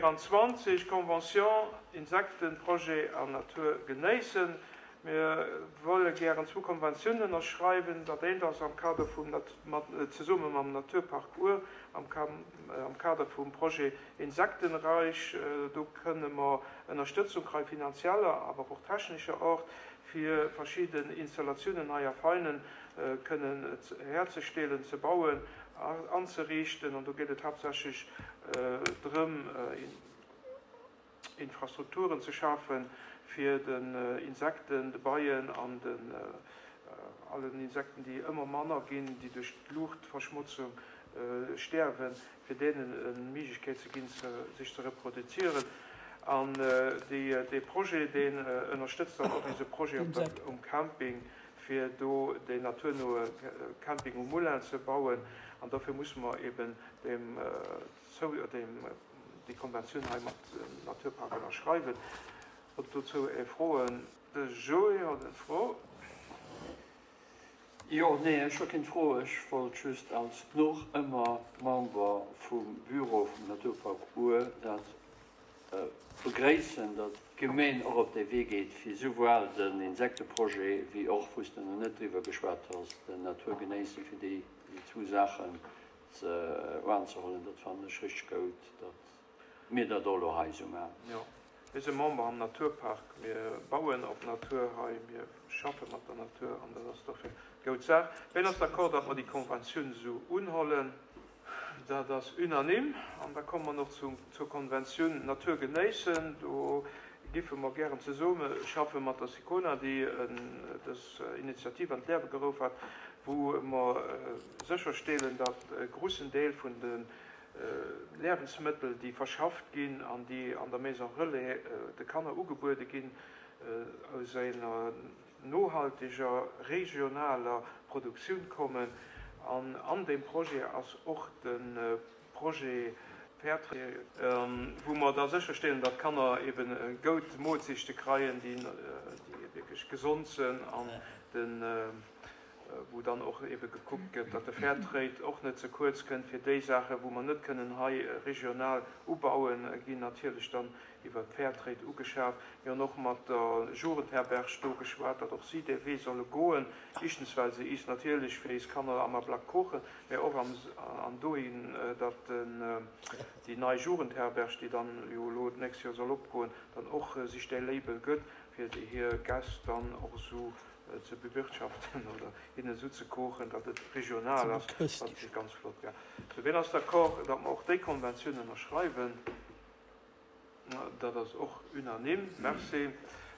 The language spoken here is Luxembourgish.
24, Convention Insektenprojet an Natur genéissen. Mir wëlle gären zwou Konventiounen ënnerschreiwen. Dat eent ass am Kader vum, mat, zesumme mam Naturpark Our, am am Kader vum Projet Insektenreich. Do kënne mer Ënnerstëtzung kréien, finanzieller, awer och technescher Art, fir verschidden Installatiounen hei a Veinen kënnen herzestellen, ze bauen, anzeriichten. An do geet et haaptsächlech drëm, Infrastrukturen ze schafen, fir den Insekten, de Beien an den allen Insekten, déi ëmmer manner ginn, déi duerch d'Luuchtverschmotzung stäerwen, fir deenen e Méiglechkeet ze ginn, sech ze reproduzieren. An dee Projet, deen ënnerstëtzt dann och eise Projet um Camping, fir do deen naturnoe Camping um Moulin ze bauen. An dofir musse mer eben deem déi Konventioun hei mat dem Naturpark ënnerschreiwen. Hutt dozou är Froen? De Joé huet eng Fro. Jo, nee, ech hu keng Fro. Ech wollt just als noch ëmmer Member vum Bureau vum Naturpark Our dat begréissen, datt d'Gemeen och op dee Wee geet, fir souwuel den Insekteprojet wéi och, wou s de nach net driwwer geschwat has, den Naturgenéisse, fir déi zwou Saachen ze oanzehollen. Dat fannen ech richteg goud, datt mir dat och elo hei esou maachen. Jo, mir si Member am Naturpark, mir bauen op Natur hei, mir schaffe mat der Natur an dat ass dofir goud Saach. Ween ass d'accord, datt mer déi Konventioun esou unhollen? Dat ass unanime. An da komme mer nach zur Konventioun Natur genéissen. Do giffe mer gären zesumme schaffe mat der SICONA, déi dës Initiativ an d'Liewe geruff hat, wou mer sécherstellen, datt e grussen Deel vun de Liewensmëttel, déi verschafft ginn an déi an der Maison Relais de Kanner ugebuede ginn, aus enger nohalteger, regionaler Produktioun kommen. An an deem Projet ass och de Projet Fairtrade, wou mer da sécherstellen, datt d'Kanner eben goud Moolzechte kreien, déi wierklech gesond sënn an de wou dann och ebe gekuckt gëtt, datt de Fairtrade och net ze kuerz kënnt, fir déi Saachen, wou mer net kënnen hei regional ubauen, ginn natierlech dann iwwer Fairtrade ugeschaf. Mir hunn och mat der Jugendherberg do geschwat, datt och si dee Wee solle goen, éischtens well se is natierlech fir is Kanner am Ablack kochen, mä och an dohin, datt déi nei Jugendherberg, déi dann jo elo d'nächst Joer soll opgoen, dann och sech dee Label gëtt, fir hir Gäscht dann och esou ze bewirtschaften oder hinnen esou ze kochen, datt et regional ass, wat ganz flott wär. Sou, wien ass d'accord, datt mer och déi Konventioun ënnerschreiwen? Dat ass och unanime. Merci.